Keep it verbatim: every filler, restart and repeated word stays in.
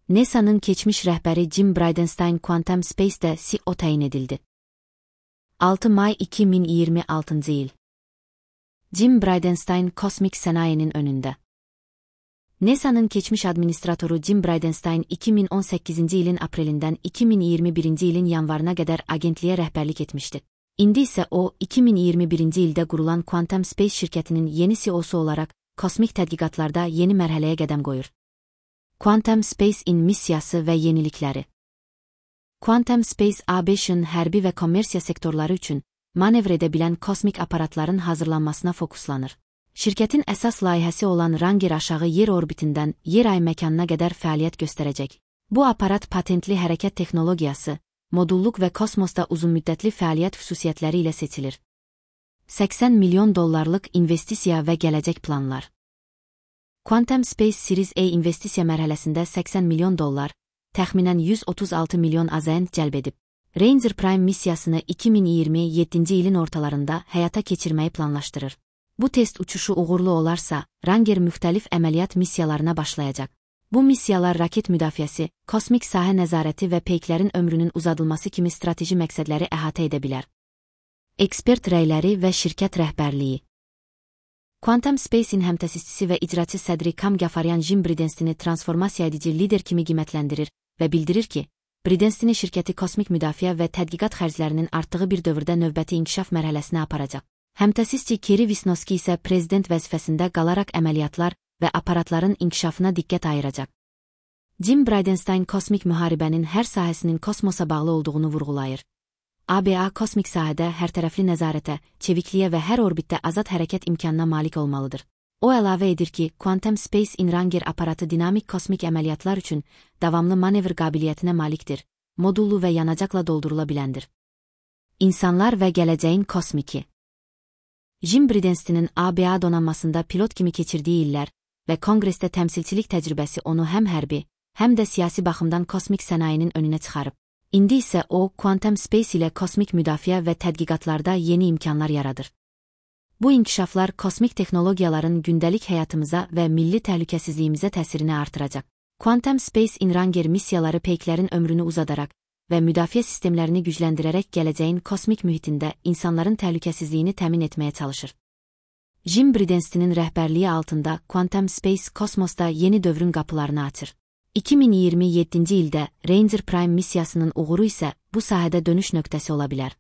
NASA'nın keçmiş rəhbəri Jim Bridenstine Quantum Space'də C E O təyin edildi. altı may iki min iyirmi altıncı il. Jim Bridenstine kosmik sənayinin önündə. NASA'nın keçmiş administratoru Jim Bridenstine iki min on səkkizinci ilin aprelindən iki min iyirmi birinci ilin yanvarına qədər agentliyə rəhbərlik etmişdi. İndi isə o, iki min iyirmi birinci ildə qurulan Quantum Space şirkətinin yeni C E O'su olaraq kosmik tədqiqatlarda yeni mərhələyə qədəm qoyur. Quantum Space-in missiyası və yenilikləri. Quantum Space A B Ş-ın hərbi və kommersiya sektorları üçün manevr edə bilən kosmik aparatların hazırlanmasına fokuslanır. Şirkətin əsas layihəsi olan Ranger aşağı yer orbitindən yer ay məkanına qədər fəaliyyət göstərəcək. Bu aparat patentli hərəkət texnologiyası, modulluq və kosmosda uzunmüddətli fəaliyyət xüsusiyyətləri ilə seçilir. səksən milyon dollarlıq investisiya və gələcək planlar. Quantum Space Series A investisiya mərhələsində səksən milyon dollar, təxminən yüz otuz altı milyon A Z N cəlb edib. Ranger Prime missiyasını iki min iyirmi yeddinci ilin ortalarında həyata keçirməyi planlaşdırır. Bu test uçuşu uğurlu olarsa, Ranger müxtəlif əməliyyat missiyalarına başlayacaq. Bu missiyalar raket müdafiəsi, kosmik sahə nəzarəti və peyklərin ömrünün uzadılması kimi strateji məqsədləri əhatə edə bilər. Ekspert rəyləri və şirkət rəhbərliyi. Quantum Space-in həmtəsisçisi və icraçı sədri Kam Gafaryan Jim Bridenstini transformasiya edici lider kimi qiymətləndirir və bildirir ki, Bridenstini şirkəti kosmik müdafiə və tədqiqat xərclərinin artdığı bir dövrdə növbəti inkişaf mərhələsinə aparacaq. Həmtəsisçi Kerry Wisniewski isə prezident vəzifəsində qalaraq əməliyyatlar və aparatların inkişafına diqqət ayıracaq. Jim Bridenstine kosmik müharibənin hər sahəsinin kosmosa bağlı olduğunu vurğulayır. A B A kosmik sahədə hərtərəfli nəzarətə, çevikliyə və hər orbitdə azad hərəkət imkanına malik olmalıdır. O əlavə edir ki, Quantum Space-in Ranger aparatı dinamik kosmik əməliyyatlar üçün davamlı manevr qabiliyyətinə malikdir, modullu və yanacaqla doldurula biləndir. İnsanlar və gələcəyin kosmiki. Jim Bridenstinin A B A donanmasında pilot kimi keçirdiyi illər və konqresdə təmsilçilik təcrübəsi onu həm hərbi, həm də siyasi baxımdan kosmik sənayinin önünə çıxarıb. İndi isə o, Quantum Space ilə kosmik müdafiə və tədqiqatlarda yeni imkanlar yaradır. Bu inkişaflar kosmik texnologiyaların gündəlik həyatımıza və milli təhlükəsizliyimizə təsirini artıracaq. Quantum Space-in Ranger missiyaları peyklərin ömrünü uzadaraq və müdafiə sistemlərini gücləndirərək gələcəyin kosmik mühitində insanların təhlükəsizliyini təmin etməyə çalışır. Jim Bridenstinin rəhbərliyi altında Quantum Space kosmosda yeni dövrün qapılarını açır. iki min iyirmi yeddinci ildə Ranger Prime missiyasının uğuru isə bu sahədə dönüş nöqtəsi ola bilər.